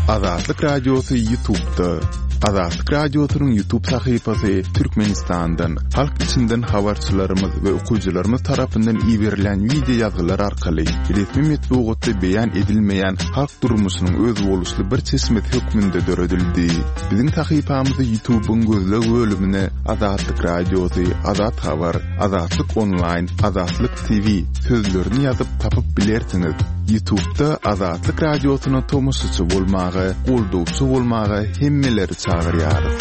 Azatlyk Radiosy Ýutubda. Azatlyk Radiosynyň Ýutub sahypasy Türkmenistandan, halk içinden habarçylarymyz we okyjylarymyz tarapyndan iberilen wideo ýazgylar arkaly resmi metbugatda beýan edilmeýän halk durmuşynyň özboluşly bir çeşmesi hökmünde döredildi. Biziň sahypamyzy Ýutubyň gözleg bölümine Azatlyk Radiosy, Azat Habar, Azatlyk Onlaýn, Azatlyk TV sözlerini ýazyp tapyp bilersiňiz. Ýutubda Azatlyk Radiosyna tomaşaçy bolmaga, goldawçy bolmaga hemmeleri çagyrýarys.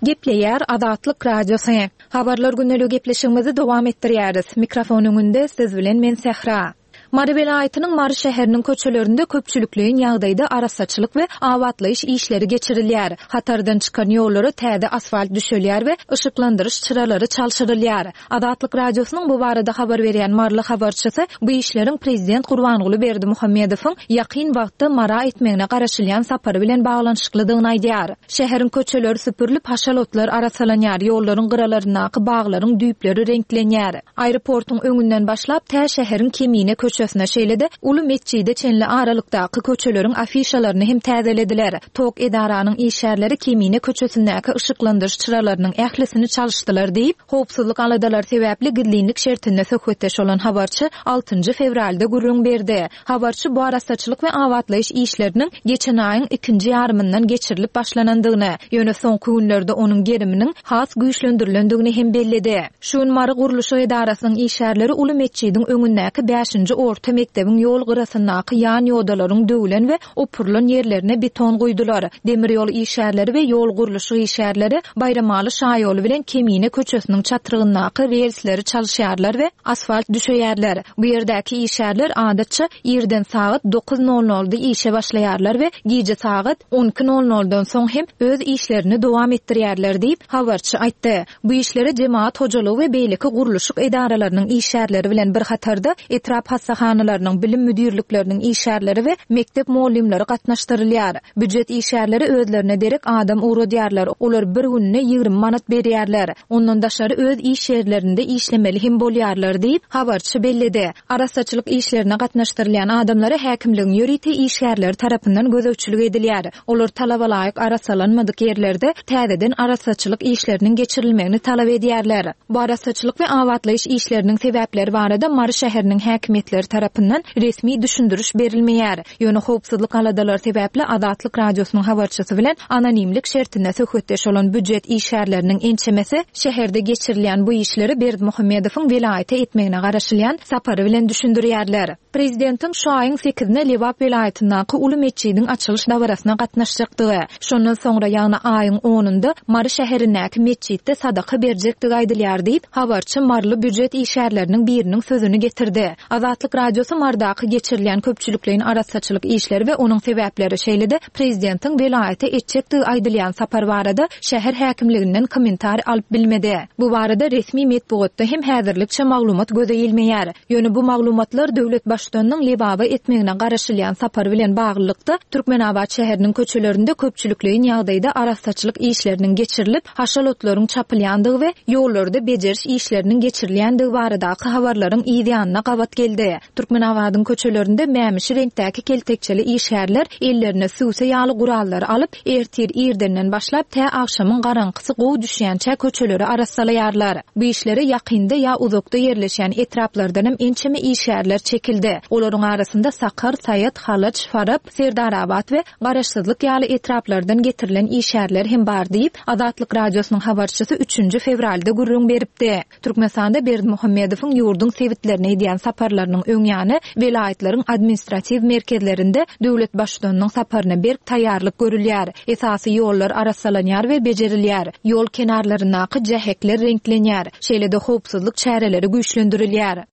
Gepleýär Azatlyk Radiosy. Habarlar gündeligi gepleşigimizi dowam etdirýäris. Mikrofon öňünde siz bilen men Sähra. Mary welaýatynyň Mary şäheriniň köçelerinde köpçülikleýin ýagdaýda arassaçylyk we abatlaýyş işleri geçirilýär. Hatardan çykan ýollara täze asfalt düşelýär we yşyklandyryş çyralary çalşyrylýar. Azatlyk Radiosynyň bu barada habar berýän maryly habarçysy bu işleriň prezident Gurbanguly Berdimuhamedowyň ýakyn wagtda Mara etmegine garaşylýan sapary bilen baglanyşyklydygyny aýdýar. Şäheriň köçeleri süpürilip, haşal otlar arassalanýar, ýollaryň gyralaryndaky baglaryň düýpleri reňklenýär. Aeroportuň öňünden başlap, tä şäheriň Kemine köçesine, şeýle-de Uly metjide çenli aralykdaky köçeleriň afişalaryny hem täzelediler. Tok edaranyň işgärleri Kemine köçesindäki yşyklandyryş çyralarynyň ählisini çalyşdylar diýip, howpsuzlyk aladalary sebäpli gizlinlik şertinde söhbetdeş bolan habarçy altynjy fewralda gürrüň berdi. Habarçy bu arassaçylyk we abatlaýyş işleriniň geçen aýyň ikinji ýarymyndan geçirilip başlanandygyny, ýöne soňky günlerde onuň geriminiň has güýçlendirilendigini hem belledi. Şu gün Mary gurluşyk edarasynyň işgärleri uly metjidiň öňündäki bäşinji orta mekdebiň ýol gyrasyndaky ýan ýodalaryň döwlen we opurylan ýerlerine beton guýdular. Demir ýol işgärleri we ýol gurluşyk işgärleri Baýramaly şaýoly bilen Kemine köçesiniň çatrygyndaky relsleri çalyşýarlar we asfalt düşeýärler. Bu ýerdäki işgärler adatça irden sagat dokuz nol nolda işe başlaýarlar we gije sagat on iki nol noldan soň hem öz işlerini dowam etdirýärler diýip, habarçy aýtdy. Bu işlere jemagat hojalygy we beýleki gurluşyk edaralarynyň işgärleri bilen bir hatarda, etrap hassahanalarynyň, bilim müdirlikleriniň işgärleri we mekdep mugallymlary gatnaşdyrylýar. Býujet işgärleri özlerine derek adam ugradýarlar, olar bir gününe 20 manat berýärler. Ondan daşary öz iş ýerlerinde işlemeli hem bolýarlar diýip, habarçy belledi. Arassaçylyk işlerine gatnaşdyrylýan adamlara häkimligiň ýörite işgärleri tarapyndan gözegçilik edilýär. Olar talabalaýyk arassalanmadyk ýerlerde täzeden arassaçylyk işleriniň geçirilmegini talap edýärler. Bu arassaçylyk we abatlaýyş işleriniň sebäpleri barada Mary şäheriniň häkimiýetleri tarapyndan resmi düşündiriş berilmeýär. Ýöne howpsuzlyk aladalary sebäpli Azatlyk Radiosynyň habarçysy bilen anonimlik şertinde söhbetdeş bolan býujet işgärleriniň ençemesi şäherde geçirilýän bu işleri Berdimuhamedowyň welaýata etmegine garaşylýan sapary bilen düşündirýärler. Prezidentiň şu aýyň sekizine Lebap welaýatyndaky uly metjidiň açylyş dabarasyna gatnaşjakdygy, şondan soňra, ýagny aýyň onunda Mary şäherindäki metjitde sadaka berjekdigi aýdylýar diýip, habarçy maryly býujet işgärleriniň biriniň sözüni getirdi. Azatlyk Radiosy Marydaky geçirilýän köpçülikleýin arassaçylyk işleri we onuň sebäpleri, şeýle-de prezidentiň welaýata etjekdigi aýdylýan sapar barada şäher häkimliginden kommentariý alyp bilmedi. Bu barada resmi metbugatda hem häzirlikçe maglumat göze ilmeýär. Ýöne bu maglumatlar döwlet Baştutanynyň Lebaba etmegine garaşylýan sapary bilen baglylykda, Türkmenabat şäheriniň köçelerinde köpçülikleýin ýagdaýda arassaçylyk işleriniň geçirilip, haşal otlaryň çapylýandygy we ýollarda bejeriş işleriniň geçirilýändigi baradaky habarlaryň yz ýanyna gabat geldi. Türkmenabadyň köçelerinde mämişi reňkdäki keltekçeli işgärler ellerine süwse ýaly gurallary alyp, ertir irdenden başlap tä agşamyň garaňkysy gowy düşýänçä köçeleri arassalaýarlar. Bu işlere ýakynda ýa uzakda ýerleşýän etraplardanam ençeme işgärler çekildi. Olaryň arasynda Sakar, Saýat, Halaç, Farap, Serdarabat we Garaşsyzlyk ýaly etraplardan getirilen işgärler hem bar diýip, Azatlyk Radiosynyň habarçysy üçünji fewralda gürrüň beripdi. Türkmenistanda Berdimuhamedowyň ýurduň sebitlerine edýän saparlarynyň öň ýany welaýatlaryň administratiw merkezlerinde döwlet Baştutanynyň saparyna berk taýýarlyk görülýär. Esasy ýollar arassalanýar we bejerilýär, ýol kenarlaryndaky jähekler reňklenýär, şeýle-de howpsuzlyk çäreleri güýçlendirilýär.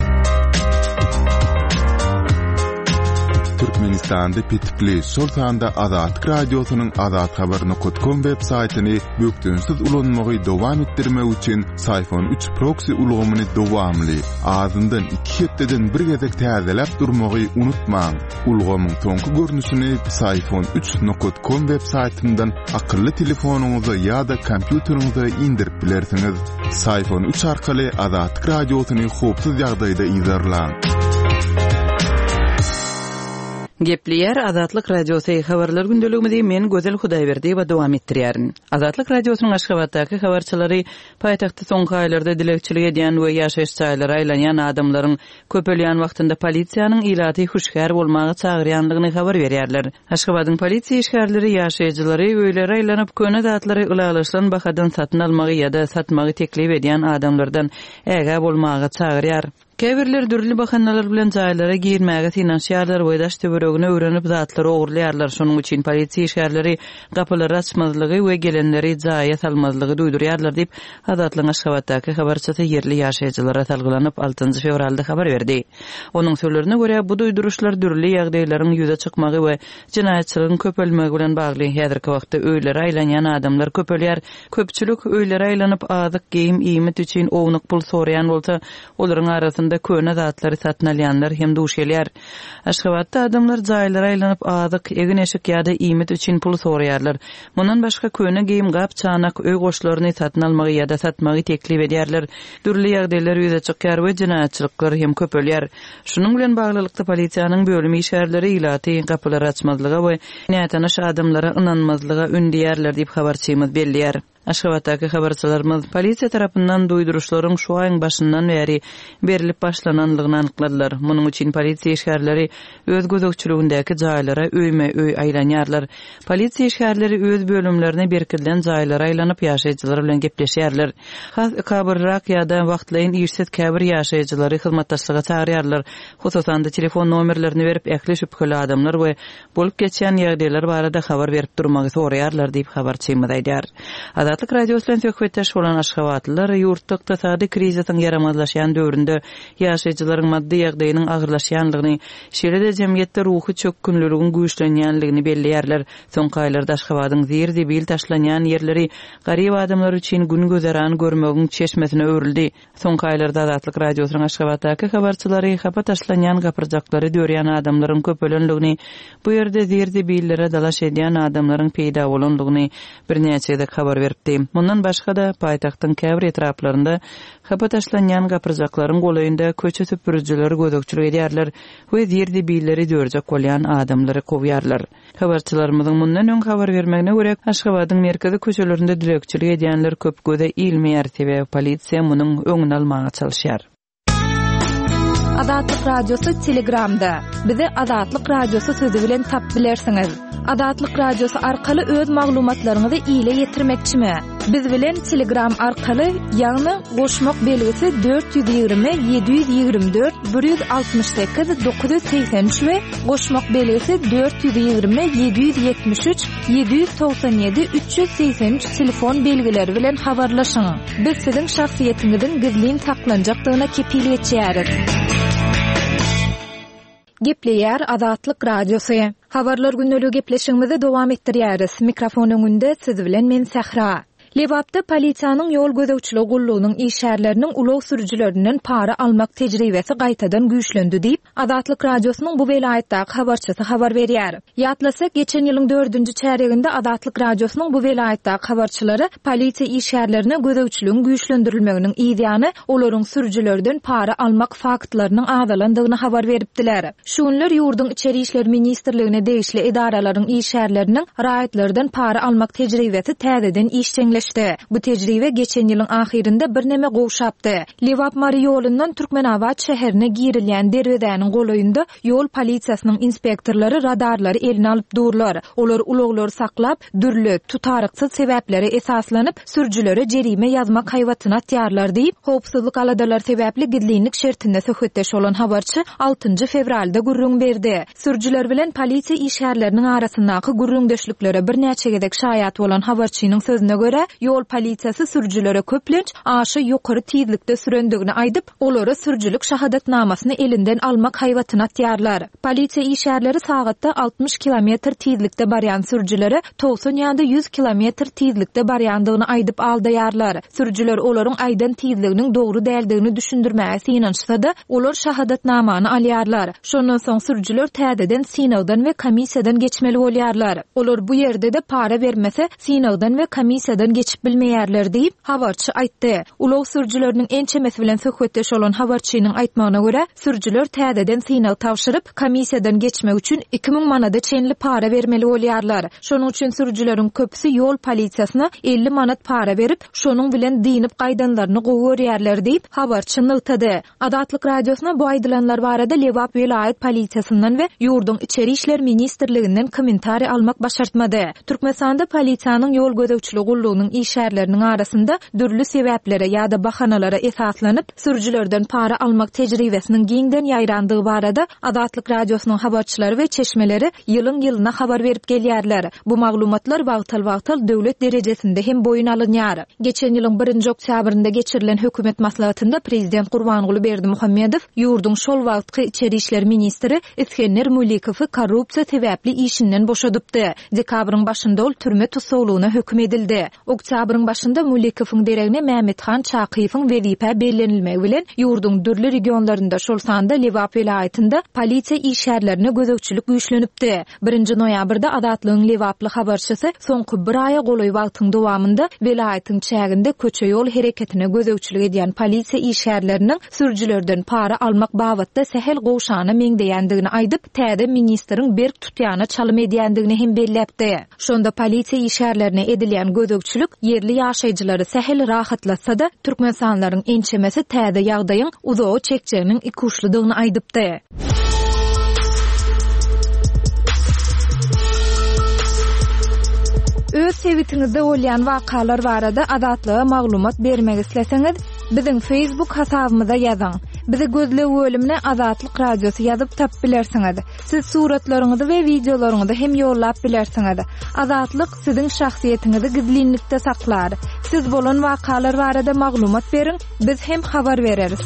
Türkmenistanda petikli, şol sanda Azatlyk Radiosynyň azathabar nokat kom web saýtyny bökdençsiz ulanmagy dowam etdirmek üçin Syphon üç proksi ulgamyny dowamly, azyndan iki hepdeden bir gezek täzeläp durmagy unutmaň. Ulgamyň soňky görnüşini Syphon üç nokat kom web saýtyndan akylly telefonyňyza ýa-da kompýuteriňize indirip bilersiňiz. Syphon üç arkaly Azatlyk Radiosyny howpsuz ýagdaýda yzarlaň. Gepleýär Azatlyk Radiosy, Habarlar gündeligimizi men Gözel Hudaýberdiýewa dowam etdirýärin. Azatlyk Radiosynyň Aşgabatdaky habarçylary paýtagtda soňky aýlarda dilegçilik edýän we ýaşaýyş jaýlara aýlanýan adamlaryň köpelýän wagtynda polisiýanyň ilaty hüşgär bolmaga çagyrýandygyny habar berýärler. Aşgabadyň polisiýa işgärleri ýaşaýjylary öýlere aýlanyp, köne zatlary ylalaşylan bahadan satyn almagy ýa-da satmagy teklip edýän adamlardan ägä bolmaga çagyrýar. Käbirleri dürli bahanalar bilen jaýlara girmäge synanyşýarlar we daş-töweregini öwrenip zatlary ogurlaýarlar. Şonuň üçin polisiýa işgärleri gapylary açmazlygy we gelenleri jaýa salmazlygy duýdurýarlar diýip, Azatlygyň Aşgabatdaky habarçysy ýerli ýaşaýjylara salgylanyp, altynjy fewralda habar berdi. Onuň sözlerine görä, bu duýduryşlar dürli ýagdaýlaryň ýüze çykmagy we jenaýatçylygyň köpelmegi bilen bagly. Häzirki wagtda öýlere aýlanýan adamlar köpelýär. Köpçülik öýlere aýlanyp, azyk, geýim, iýmit üçin ownuk pul soraýan bolsa, olaryň arasynda köne zatlary satyn alýanlar hem duş gelýär. Aşgabatda adamlar jaýlara aýlanyp, azyk, egin-eşik ýa-da iýmit üçin pul soraýarlar. Mundan başga, köne geýim, gap-çanak, öý goşlaryny satyn almagy ýa-da satmagy teklip edýärler. Dürli ýagdaýlar ýüze çykýar we jenaýatçylyklar hem köpelýär. Şunuň bilen baglylykda, polisiýanyň bölüm işgärleri ilaty gapylary açmazlyga we nätanyş adamlara ynanmazlyga ündeýärler diýip, habarçymyz belleýär. Aşgabatdaky habarçylarymyz polisiýa tarapyndan duýduryşlaryň şu aýyň başyndan bäri berlip başlanandygyny anykladylar. Munuň üçin polisiýa işgärleri öz gözegçiligindäki jaýlara öýme-öý aýlanýarlar. Polisiýa işgärleri öz bölümlerine berkidilen jaýlara aýlanyp, ýaşaýjylar bilen gepleşýärler. Has ekabyrrak ýa-da wagtlaýyn işsiz käbir ýaşaýjylary hyzmatdaşlyga çagyrýarlar. Hususan-da, telefon nomerlerini berip, ähli şübheli adamlar we bolup geçýän ýagdaýlar barada habar berip durmagy soraýarlar diýip, habarçymyz aýdýar. Azatlyk Radiosy bilen söhbetdeş bolan aşgabatlylar ýurtda ykdysady krizisiň ýaramazlaşýan döwründe ýaşaýjylaryň maddy ýagdaýynyň agyrlaşýandygyny, şeýle-de jemgyýetde ruhy çökgünliligiň güýçlenýändigini belleýärler. Soňky aýlarda Aşgabadyň zir-zibil taşlanýan ýerleri garyp adamlar üçin gün-güzeran görmegiň çeşmesine öwrüldi. Soňky aýlarda Azatlyk Radiosynyň Aşgabatdaky habarçylary hapa taşlanýan gapyrjaklary dörýän adamlaryň köpelendigini, bu ýerde zir-zibillere dalaş edýän adamlaryň peýda bolandygyny birnäçe gezek habar beripdi. Mundan başga-da, paýtagtyň käbir etraplarynda hapa taşlanýan gapyrjaklaryň golaýynda köçe süpürijiler gözegçilik edýärler we zir-zibilleri dörjek bolýan adamlary kowýarlar. Habarçylarymyzyň mundan öň habar bermegine görä, Aşgabadyň merkezi köçelerinde dilegçilik edýänler köp göze ilmeýär, sebäbi polisiýa munuň öňüni almaga çalyşýar. Azatlyk Radiosy Telegramda. Bizi Azatlyk Radiosy sözi bilen tapyp bilersiňiz. Azatlyk Radiosy arkaly öz maglumatlaryňyzy ile ýetirmekçimi? Biz bilen Telegram arkaly, ýagny goşmak belgisi 420 724 168 983 we goşmak belgisi 420 773 797 383 telefon belgileri bilen habarlaşyň. Biz siziň şahsyýetiňiziň gizlin saklanjakdygyna kepil geçýäris. Gepleýär Azatlyk Radiosy. Habarlar gündeligi gepleşigimizi dowam etdirýäris. Mikrofon öňünde siz bilen men Sähra. Lebapda polisiýanyň ýol gözegçiligi gullugynyň işgärleriniň ulag sürüjilerinden para almak tejribesi gaýtadan güýçlendi diýip, Azatlyk Radiosynyň bu welaýatdaky habarçysy habar berýär. Ýatlasak, geçen ýylyň dördünji çärýeginde Azatlyk Radiosynyň bu welaýatdaky habarçylary polisiýa işgärlerine gözegçiligiň güýçlendirilmeginiň yzýany olaryň sürüjilerden para almak faktlarynyň azalandygyny habar beripdiler. Şu günler ýurduň Içeri işler ministrligine degişli edaralaryň işgärleriniň raýatlardan para almak tejribesi täzeden işjeňleşdi. Bu tejribe geçen ýylyň ahyrynda birneme gowşapdy. Lebap-Mary ýolundan Türkmenabat şäherine girilýän derwezäniň golaýynda ýol polisiýasynyň inspektorlary radarlary eline alyp durlar. Olar ulaglary saklap, dürli, tutaryksyz sebäplere esaslanyp, sürüjilere jerime ýazmak haýbatyny atýarlar diýip, howpsuzlyk aladalary sebäpli gizlinlik şertinde söhbetdeş bolan habarçy altynjy fewralda gürrüň berdi. Sürüjiler bilen polisiýa işgärleriniň arasyndaky gürrüňdeşliklere birnäçe gezek şaýat bolan habarçynyň sözüne görä, ýol polisiýasy sürüjilere köplenç aşa ýokary tizlikde sürendigini aýdyp, olara sürüjilik şahadatnamasyny elinden almak haýbatyny atýarlar. Polisiýa işgärleri sagatda 60 kilometr tizlikde barýan sürüjilere 90 ýa-da 100 kilometr tizlikde barýandygyny aýdyp aldaýarlar. Sürüjiler olaryň aýdan tizliginiň dogry däldigini düşündirmäge synanyşsa-da, olar şahadatnamany alýarlar. Şondan soň sürüjiler täzeden synagdan we komissiýadan geçmeli bolýarlar. Olar bu ýerde-de para bermese, synagdan we komissiýadan. geçip bilmeýärler diýip, habarçy aýtdy. Ulag sürüjileriniň ençemesi bilen söhbetdeş bolan habarçynyň aýtmagyna görä, sürüjiler täzeden synag tabşyryp, komissiýadan geçmek üçin 2000 manada çenli para bermeli bolýarlar. Şonuň üçin sürüjileriň köpüsi ýol polisiýasyna 50 manat para berip, şonuň bilen dynyp gaýdanlaryny gowy görýärler diýip, habarçy nygtady. Azatlyk Radiosyna bu aýdylanlar barada Lebap welaýat polisiýasyndan we ýurduň Içeri işler ministrliginden kommentariý almak başartmady. Türkmenistanda polisiýanyň ýol gözegçiligi gullugynyň işgärleriniň arasynda dürli sebäplere ýa-da bahanalara esaslanyp, sürüjilerden para almak tejribesiniň giňden ýaýrandygy barada Azatlyk Radiosynyň habarçylary we çeşmeleri ýylyň-ýylyna habar berip gelýärler. Bu maglumatlar wagtal-wagtal döwlet derejesinde hem boýun alynýar. Geçen ýylyň birinji oktýabrynda geçirilen hökümet maslahatynda prezident Gurbanguly Berdimuhamedow ýurduň şol wagtky içeri işler ministri Isgender Mulikowy korrupsiýa sebäpli işinden boşadypdy. Dekabryň başynda ol türme tussaglygyna höküm edildi. Oktýabryň başynda Mulikowyň deregine Mämmethan Çakyýewiň wezipä bellenilmegi bilen ýurduň dürli regionlarynda, şol sanda Lebap welaýatynda polisiýa işgärlerine gözegçilik güýçlenipdi. Birinji noýabrda Azatlygyň lebaply habarçysy soňky bir aýa golaý wagtyň dowamynda welaýatyň çäginde köçe-ýol hereketine gözegçilik edýän polisiýa işgärleriniň sürüjilerden para almak babatda sähel gowşana meňzeýändigini aýdyp, täze ministriň berk tutýana çalym edýändigini hem belläpdi. Şonda polisiýa işgärlerine edilýän gözegçilik ýerli ýaşaýjylary sähel rahatlatsa-da, türkmenistanlylaryň ençemesi täze ýagdaýyň uzaga çekjeginiň ikuçludygyny aýdypdy. Öz sebitiňizde bolýan wakalar barada Azatlyga maglumat bermek isleseňiz, biziň Facebook hasabymyza ýazyň. Bizi gözleg bölümine Azatlyk Radiosy ýazyp tapyp bilersiňiz. Siz suratlaryňyzy we wideolaryňyzy hem ýollap bilersiňiz. Azatlyk siziň şahsyýetiňizi gizlinlikde saklar. Siz bolan wakalar barada maglumat beriň, biz hem habar bereris.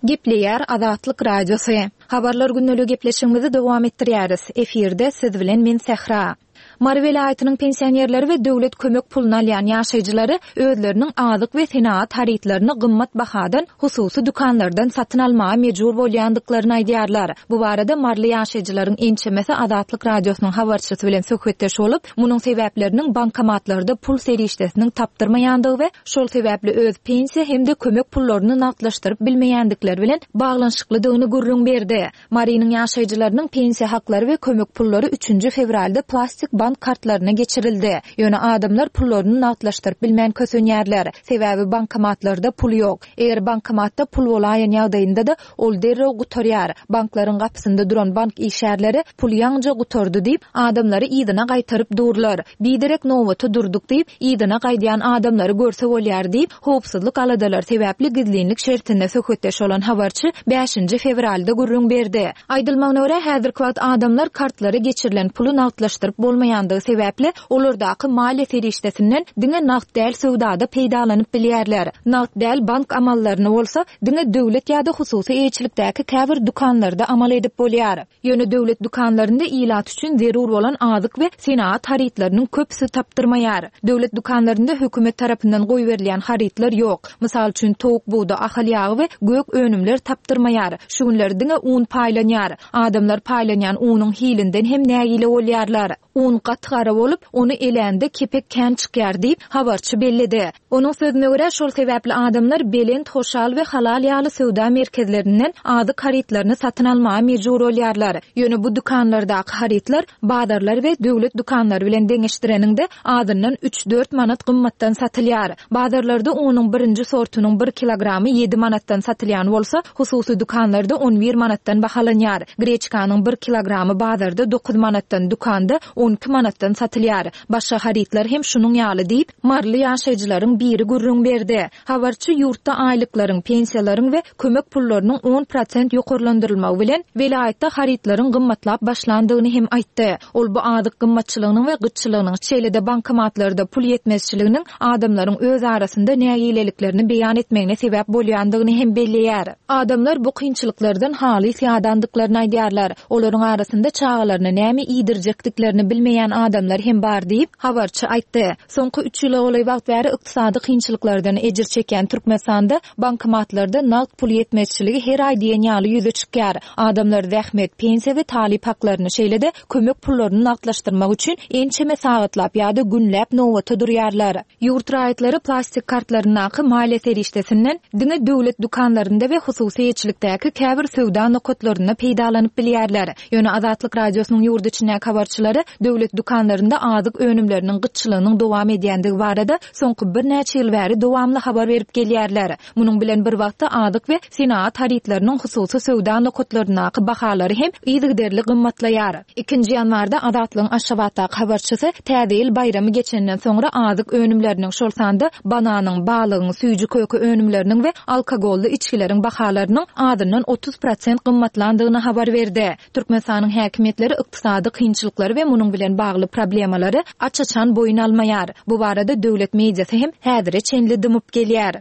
Gepleýär Azatlyk Radiosy. Habarlar gündeligi gepleşigimizi dowam etdirýäris. Efirde siz bilen men Sähra. Mary welaýatynyň pensionerleri we döwlet kömek puluny alýan ýaşaýjylary özleriniň azyk we senagat harytlaryny gymmat bahadan hususy dükanlardan satyn almaga mejbur bolýandyklaryny aýdýarlar. Bu barada maryly ýaşaýjylaryň ençemesi Azatlyk Radiosynyň habarçysy bilen söhbetdeş bolup, munuň sebäpleriniň bankomatlarda pul serişdesiniň tapdyrmaýandygy we şol sebäpli öz pensiýa hem-de kömek pullaryny nagtlaşdyryp bilmeýändikleri bilen baglanyşyklydygyny gürrüň berdi. Marynyň ýaşaýjylarynyň pensiýa haklary we kömek pullary üçünji fewralda plastik bank kartlaryna geçirildi. Ýöne adamlar pullaryny nagtlaşdyryp bilmän kösenýärler. Sebäbi bankomatlarda pul ýok. Eger bankomatda pul bolaýan ýagdaýynda-da, ol derrew gutarýar. Banklaryň gapysynda duran bank işgärleri pul ýaňyja gutardy diýip, adamlary yzyna gaýtaryp durlar. Biderek nobata durduk diýip, yzyna gaýdýan adamlary görse bolýar diýip, howpsuzlyk aladalary sebäpli gizlinlik şertinde söhbetdeş bolan habarçy bäşinji fewralda gürrüň berdi. Aýdylmagyna görä, häzirki wagt adamlar kartlara geçirilen puly nagtlaşdyryp bolmaýandygy sebäpli, olardaky maliýe serişdesinden diňe nagt däl söwdada peýdalanyp bilýärler. Nagt däl bank amallaryny bolsa, diňe döwlet ýa-da hususy eýeçilikdäki käbir dükanlarda amal edip bolýar. Ýöne döwlet dükanlarynda ilat üçin zerur bolan azyk we senagat harytlarynyň köpüsi tapdyrmaýar. Döwlet dükanlarynda hökümet tarapyndan goýberilýän harytlar ýok. Mysal üçin, towuk budy, ahal ýagy we gök önümler tapdyrmaýar. Şu günler diňe un paýlanýar. Adamlar paýlanýan unuň hilinden hem nägile bolýarlar. Un gaty gara bolup, ony elände kepek kän çykýar diýip, habarçy belledi. Onuň sözüne görä, şol sebäpli adamlar Belent, Hoşal we Halal ýaly söwda merkezlerinden azyk harytlaryny satyn almaga mejbur bolýarlar. Ýöne bu dükanlardaky harytlar bazarlar we döwlet dükanlary bilen deňeşdireniňde azyndan üç-dört manat gymmatdan satylýar. Bazarlarda unuň birinji sortunyň bir kilogramy ýedi manatdan satylýan bolsa, hususy dükanlarda on bir manatdan bahalanýar. Greçkanyň bir kilogramy bazarda dokuz manatdan, dükanda on iki manatdan satylýar. Başga harytlar hem şunuň ýaly diýip, maryly ýaşaýjylaryň biri gürrüň berdi. Habarçy ýurtda aýlyklaryň, pensiýalaryň we kömek pullarynyň on prosent ýokarlandyrylmagy bilen, welaýatda harytlaryň gymmatlap başlandygyny hem aýtdy. Ol bu azyk gymmatçylygynyň we gytçylygynyň, şeýle-de bankomatlarda pul ýetmezçiliginiň adamlaryň öz arasynda nägileliklerini beýan etmegine sebäp bolýandygyny hem belleýär. Adamlar bu kynçylyklardan halys ýadandyklaryny aýdýarlar. Olaryň arasynda çagalaryna näme iýdirjekdiklerini bilmeýän. bilmeýän adamlar hem bar diýip, habarçy aýtdy. Soňky üç ýyla golaý wagt bäri ykdysady kynçylyklardan ejir çekýän Türkmenistanda bankomatlarda nagt pul ýetmezçiligi her aý diýen ýaly ýüze çykýar. Adamlar zähmet, pensiýa we talyp haklaryny, şeýle-de kömek pullaryny nagtlaşdyrmak üçin ençeme sagatlap ýa-da günläp nobata durýarlar. Ýurt raýatlary plastik kartlaryndaky maliýe serişdesinden diňe döwlet dükanlarynda we hususy eýeçilikdäki käbir söwda nokatlarynda peýdalanyp bilýärler. Ýöne Azatlyk Radiosynyň ýurt içindäki habarçylary döwlet dükanlarynda azyk önümleriniň gytçylygynyň dowam edýändigi barada soňky birnäçe ýyl bäri dowamly habar berip gelýärler. Munuň bilen bir wagtda azyk we senagat harytlarynyň hususy söwda nokatlaryndaky bahalary hem yzygiderli gymmatlaýar. Ikinji ýanwarda Azatlygyň Aşgabatdaky habarçysy Täze ýyl baýramy geçenden soňra azyk önümleriniň, şol sanda bananyň, balygyň, süýji-köke önümleriniň we alkogolly içgileriň bahalarynyň azyndan 30 prosent gymmatlandygyny habar berdi. Türkmenistanyň häkimiýetleri ykdysady kynçylyklary we munuň bilen bagly problemalary aç-açan boýun almaýar. Bu barada döwlet mediasy hem häzire çenli dymyp gelýär.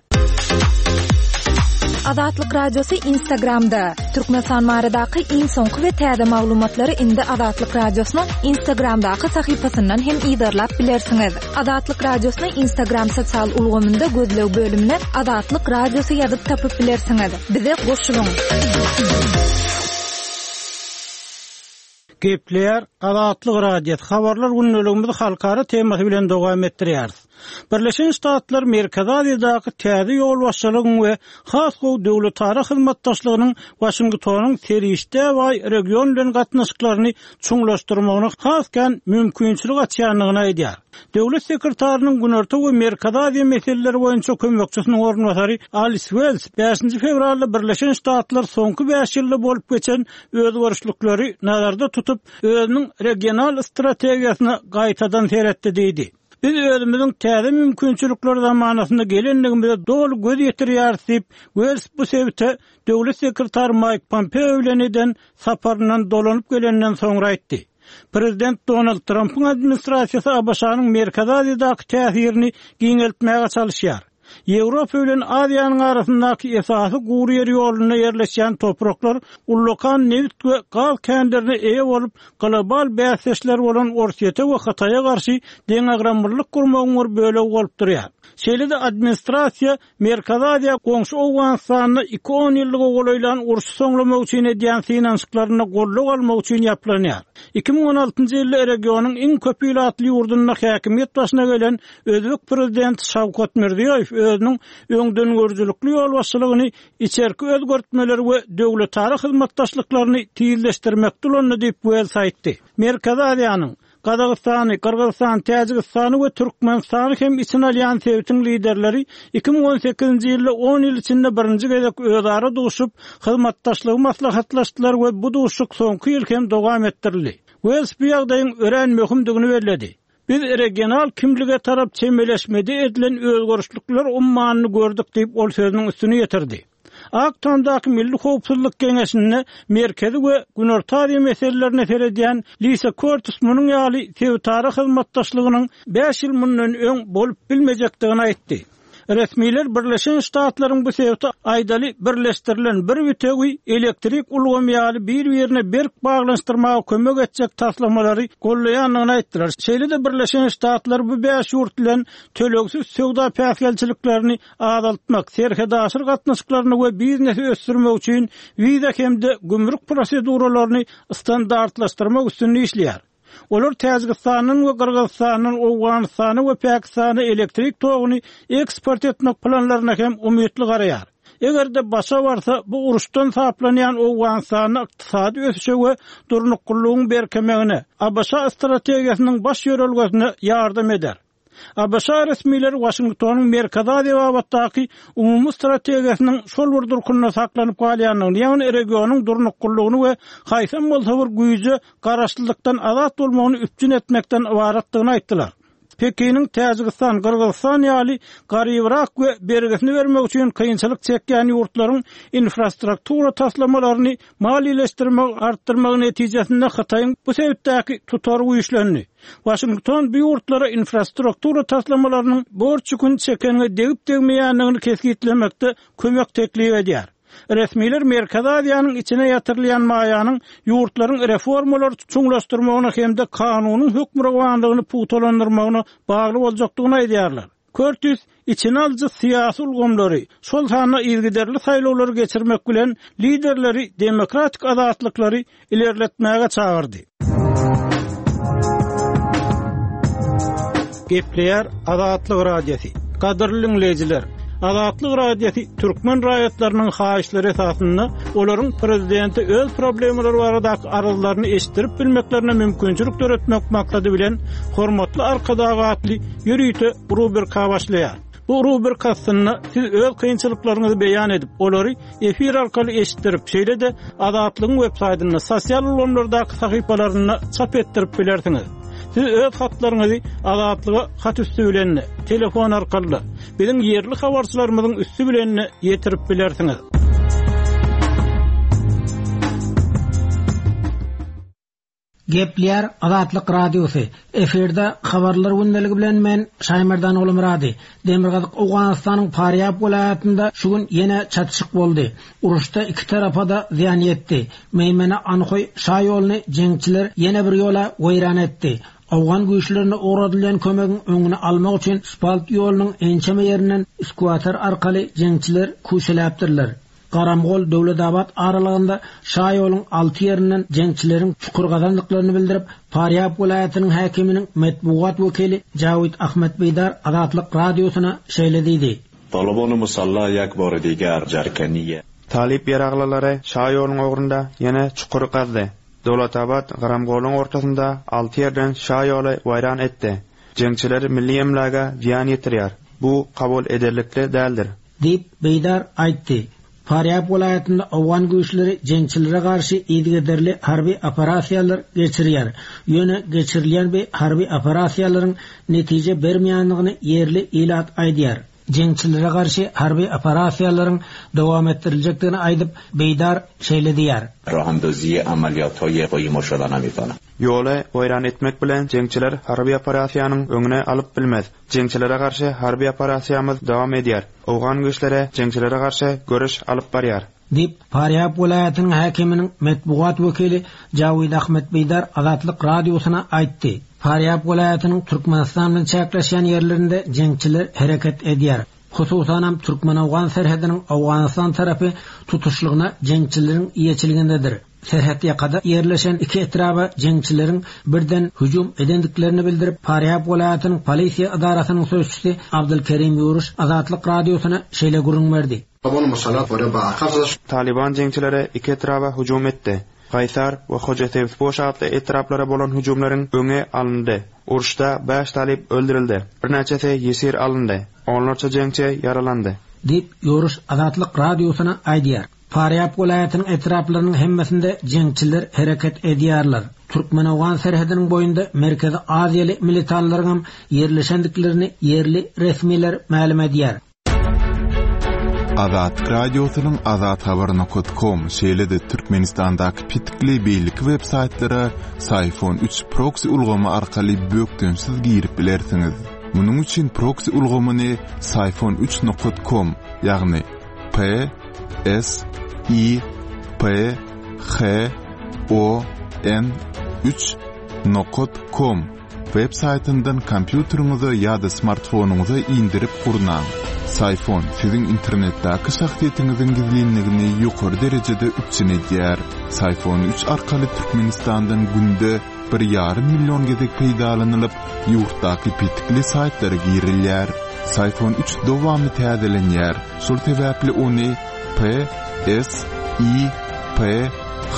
Azatlyk Radiosy Instagramda, Türkmenistan baradaky iň soňky we täze maglumatlary indi Azatlyk Radiosynyň Instagramdaky sahypasyndan hem yzarlap bilersiňiz. Azatlyk Radiosyny Instagram sosial ulgamynda gözleg bölümine Azatlyk Radiosy ýazyp tapyp bilersiňiz. Bize goşulyň! Gepleýär Azatlyk Radiosy, Habarlar gündeligimizi halkara temasy bilen dowam etdirýäris. Birleşen Ştatlar Merkezi Aziýadaky täze ýolbaşçylygyň we has gowy döwletara hyzmatdaşlygynyň Waşingtonyň serişdä baý region bilen gatnaşyklaryny çuňlaşdyrmagyna has kän mümkinçilik açýandygyny aýdýar. Döwlet sekretarynyň Günorta we Merkezi Aziýa meseleleri boýunça kömekçisiniň orunbasary Alis Wels bäşinji fewralda Birleşen Ştatlar soňky bäş ýylda bolup geçen özgerişlikleri nazarda tutup, özüniň regional strategiýasyna gaýtadan seretdi diýdi. Biz özümiziň täze mümkinçilikler zamanasyna gelendigimize doly göz ýetirýäris diýip, Wels bu sebite döwlet sekretary Maýk Pompeo bilen eden saparyndan dolanyp gelenden soňra aýtdy. Prezident Donald Trampyň administrasiýasy ABŞ-nyň Merkezi Aziýadaky täsirini giňeltmäge çalyşýar. Ýewropa bilen Aziýanyň arasyndaky esasy gury ýer ýolunda ýerleşýän topraklar ullakan nebit we gaz känlerine eýe bolup, global bäsdeşler bolan Orsýete we Hytaýa garşy deňagramlylyk gurmagyň bir bölegi bolup durýar. Şeýle-de administrasiýa Merkezi Aziýa goňşy Owganystanda iki onýyllyga golaýlan urşy soňlamak üçin edýän synanyşyklarynda goldaw almak üçin ýaplanýar. 2016-njy ýylda regionyň iň köp ilatly ýurdunda häkimiýet başyna gelen özbek prezidenti Şawkat Mirziýoýew özüniň öňdengörüjilikli ýolbaşçylygyny içerki özgertmeleri we döwletara hyzmatdaşlyklaryny tizleşdirmekde ulandy diýip, Wels aýtdy. Merkezi Aziýanyň Gazagystany, Gyrgyzystany, Täjigistany we Türkmenistany hem içine alýan sebitiň liderleri 2018-nji ýylda on ýyl içinde birinji gezek özara duşup, hyzmatdaşlygy maslahatlaşdylar we bu duşuşyk soňky ýyl hem dowam etdirildi. Wels bu ýagdaýyň örän möhümdigini belledi. Biz regional kimlige tarap çemeleşmede edilen özgerişlikler ummanyny gördük diýip, ol sözüniň üstüni ýetirdi. Ak Tamdaky Milli howpsuzlyk geňeşinde Merkezi we Günorta Aziýa meselelerine seredýän Lisa Körtis munuň ýaly sebitara hyzmatdaşlygynyň bäş ýyl mundan öň bolup bilmejekdigini aýtdy. Resmiler Birleşen Ştatlaryň bu sebiti aýdaly birleşdirilen bir bitewi elektrik ulgamy ýaly bir-birine berk baglanyşdyrmaga kömek etjek taslamalary goldaýandygyny aýtdylar. Şeýle-de Birleşen Ştatlar bu bäş ýurt bilen tölegsiz söwda päsgelçiliklerini azaltmak, serhetaşyr gatnaşyklaryny we biznesi ösdürmek üçin wiza hem-de gümrük proseduralaryny standartlaşdyrmak üstünde işleýär. Olar Täjigistandan we Gyrgyzystandan Owganystana we Pakistana elektrik toguny eksport etmek planlaryna hem umytly garaýar. Eger-de başa barsa, bu uruşdan saplanýan Owganystanda ykdysady ösüşe we durnuklylygyň berkemegine, ABŞ strategiýasynyň baş ýörelgesine ýardam eder. ABŞ resmileri Waşingtonyň Merkezi Aziýa babatdaky umumy strategiýasynyň şol bir durkunda saklanyp galýandygyny, ýagny regionyň durnuklylygyny we haýsam bolsa bir güýje garaşlylykdan azat bolmagyny üpjün etmekden ybaratdygyny aýtdylar. Pekiniň Täjigistan, Gyrgyzystan ýaly garybrak we bergisini bermek üçin kynçylyk çekýän ýurtlaryň infrastruktura taslamalaryny maliýeleşdirmegi artdyrmagy netijesinde Hytaýyň bu sebitdäki tutary güýçlendi. Waşington bu ýurtlara infrastruktura taslamalarynyň borç ýüküni çekeniňe degip-degmeýändigini kesgitlemekde kömek teklip edýär. Resmiler Merkezi Aziýanyň içine ýatyrylýan maýanyň ýurtlaryň reformalary çuňlaşdyrmagyna hem-de kanunyň hökmürowanlygyny pugtalandyrmagyna bagly boljakdygyny aýdýarlar. Körtis içine alyjy syýasy ulgamlary, şol sanda yzygiderli saýlawlary geçirmek bilen, liderleri demokratik azatlyklary ilerletmäge çagyrdy. Gepleýär Azatlyk Radiosy. Gadyrly diňleýjiler! Azatlyk Radiosy türkmen raýatlarynyň haýyşlary esasynda olaryň prezidente öz problemalary baradaky arzlaryny eşitdirip bilmeklerine mümkinçilik döretmek maksady bilen Hormatly Arkadag atly ýörite rubrika başlaýar. Bu rubrika astynda siz öz kynçylyklaryňyzy beýan edip, olary efir arkaly eşitdirip, şeýle-de Azatlygyň web saýtynda, sosial ulgamlardaky sahypalarynda çap etdirip bilersiňiz. Siz öz hatlaryňyzy Azatlyga hat üsti bilen-de, telefon arkaly-da, biziň ýerli habarçylarymyzyň üsti bilen-de ýetirip bilersiňiz. Gepleýär Azatlyk Radiosy, Efirde Habarlar gündeligi bilen men, Şaýmerdan Ogulmyrady. Demirgazyk Owganystanyň Farýab welaýatynda şu gün ýene çatyşyk boldy. Uruşda iki tarapa-da zyýan ýetdi. Meýmene-Anhoý şa ýoluny jeňçiler ýene bir ýola weýran etdi. Owgan güýçlerine ugradylýan kömegiň öňüni almak üçin Spalt ýolunyň ençeme ýerinden skuater arkaly jeňçiler küşeläpdirler. Garamgol, Döwletabat aralygynda şaýoluň alty ýerinden jeňçileriň çukur gazandyklaryny bildirip, Farýab welaýatynyň häkiminiň metbugat wekili Jawid Ahmed Beýdar Azatlyk Radiosyna şeýle diýdi. Talybany musalla ýek bary diger jerkeniýe. Talyp ýaraglylary şaýoluň ugrunda ýene çukur gazdy. Döwletabat, Garamgoluň ortasynda alty ýerden şaýoly weýran etdi. Jeňçiler milli emläge zyýan ýetirýär. Bu kabul ederlikli däldir. Diýip, Beýdar aýtdy. Farýab welaýatynda owgan güýçleri jeňçilere garşy yzygiderli harby operasiýalar geçirýär. Ýöne geçirilýän bu harby operasiýalaryň netije bermeýändigini ýerli ilat aýdýar. Jeňçilere garşy harby operasiýalaryň dowam etdiriljekdigini aýdyp, Beýdar şeýle diýýär. Rahandaziýe amalýathaýe goýmaşa namitanam. Ýoly weýran etmek bilen jeňçiler harby operasiýanyň öňüni alyp bilmez. Jeňçilere garşy harby operasiýamyz dowam edýär. Owgan güýçleri jeňçilere garşy göreş alyp barýar. Diýip, Farýab welaýatynyň häkiminiň metbugat wekili Jawid Ahmed Beýdar Azatlyk Radiosyna aýtdy. Farýab welaýatynyň Türkmenistan bilen çäkleşýän ýerlerinde jeňçiler hereket edýär. Hususanam, türkmen-owgan serhediniň Owganystan tarapy tutuşlygyna jeňçileriň eýeçiligindedir. Serhetýakada ýerleşen iki etraba jeňçileriň birden hüjüm edendiklerini bildirip, Farýab welaýatynyň polisiýa edarasynyň sözçüsi Abdulkerim Ýuruş Azatlyk Radiosyna şeýle gürrüň berdi. Talyban jeňçileri iki etraba hüjüm etdi. Gaýsar we Hojasebzpoş atly etraplara bolan hüjümleriň öňi alyndy. Uruşda bäş talyp öldürildi, birnäçesi ýesir alyndy, onlarça jeňçi ýaralandy. Diýip, Ýuruş Azatlyk Radiosyna aýdýar. Farýab welaýatynyň etraplarynyň hemmesinde jeňçiler hereket edýärler. Türkmen-owgan serhediniň boýunda Merkezi Aziýaly militanlaryňam ýerleşendiklerini ýerli resmiler mälim edýär. Azatlyk Radiosynyň Azathabar nokat kom, şeýle-de Türkmenistandaky petikli beýleki web saýtlara Syfon üç proksi ulgamy arkaly bökdençsiz girip bilersiňiz. Munuň üçin proksi ulgamyny Syfon üç nokat kom, ýagny P S I P H O N 3 nokat kom web saýtyndan kompýuteriňize ýa-da smartfonyňyza indirip gurnaň. Syfon siziň internetdäki şahsyýetiňiziň gizlinligini ýokary derejede üpjün edýär. Syfon 3 arkaly Türkmenistandan günde bir ýarym million gezek peýdalanylyp, ýurtdaky petikli saýtlara girilýär. Syfon 3 dowamly täzelenýär, şol sebäpli ony P, S, I, P,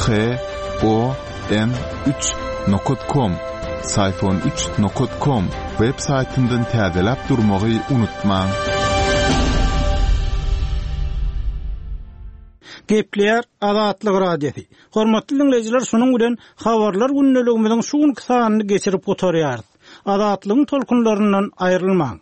H, O, N 3 nokat kom, Syfon 3 nokat kom, web saýtyndan täzeläp durmagy unutmaň. Gepleýär Azatlyk Radiosy. Hormatly diňleýjiler şunuň bilen Habarlar gündeligimiziň şu günki sanyny geçirip gutarýarys. Azatlygyň tolkunlaryndan aýrylmaň.